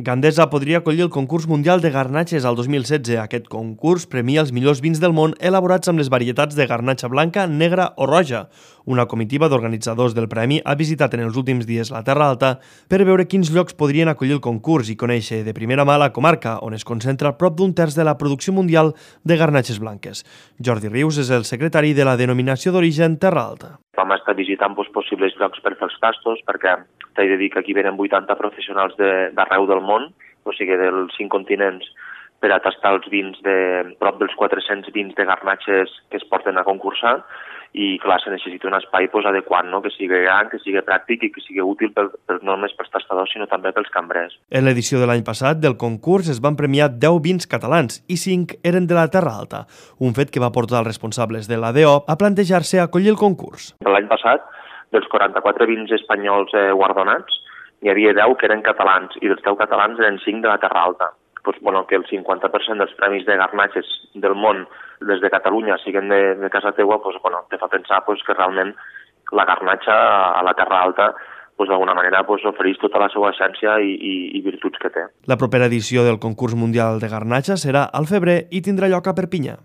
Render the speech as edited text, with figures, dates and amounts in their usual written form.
Gandesa podria acollir el concurs mundial de garnatxes al 2016. Aquest concurs premia els millors vins del món elaborats amb les varietats de garnatxa blanca, negra o roja. Una comitiva d'organitzadors del premi ha visitat en els últims dies la Terra Alta per veure quins llocs podrien acollir el concurs i conèixer de primera mà la comarca, on es concentra prop d'un terç de la producció mundial de garnatxes blanques. Jordi Rius és el secretari de la denominació d'origen Terra Alta. Vam estar visitant possibles llocs per fer els tastos, perquè t'he de dir que aquí venen 80 professionals d'arreu del món, o sigui, dels 5 continents, per a tastar els vins de prop dels 400 vins de garnatxes que es porten a concursar, i clar, se necessita un espai adequat, no? Que sigui gran, que sigui pràctic i que sigui útil no només pels tastadors, sinó també pels cambrers. En l'edició de l'any passat del concurs es van premiar 10 vins catalans i 5 eren de la Terra Alta, un fet que va portar els responsables de l'ADO a plantejar-se acollir el concurs. L'any passat, dels 44 vins espanyols guardonats, n'hi havia 10 que eren catalans i dels 10 catalans eren 5 de la Terra Alta. Que el 50% dels premis de garnatxes del món des de Catalunya siguin de casa teua, te fa pensar que realment la garnatxa a la Terra Alta d'alguna manera ofereix tota la seva essència i virtuts que té. La propera edició del concurs mundial de garnatxa serà al febrer i tindrà lloc a Perpinyà.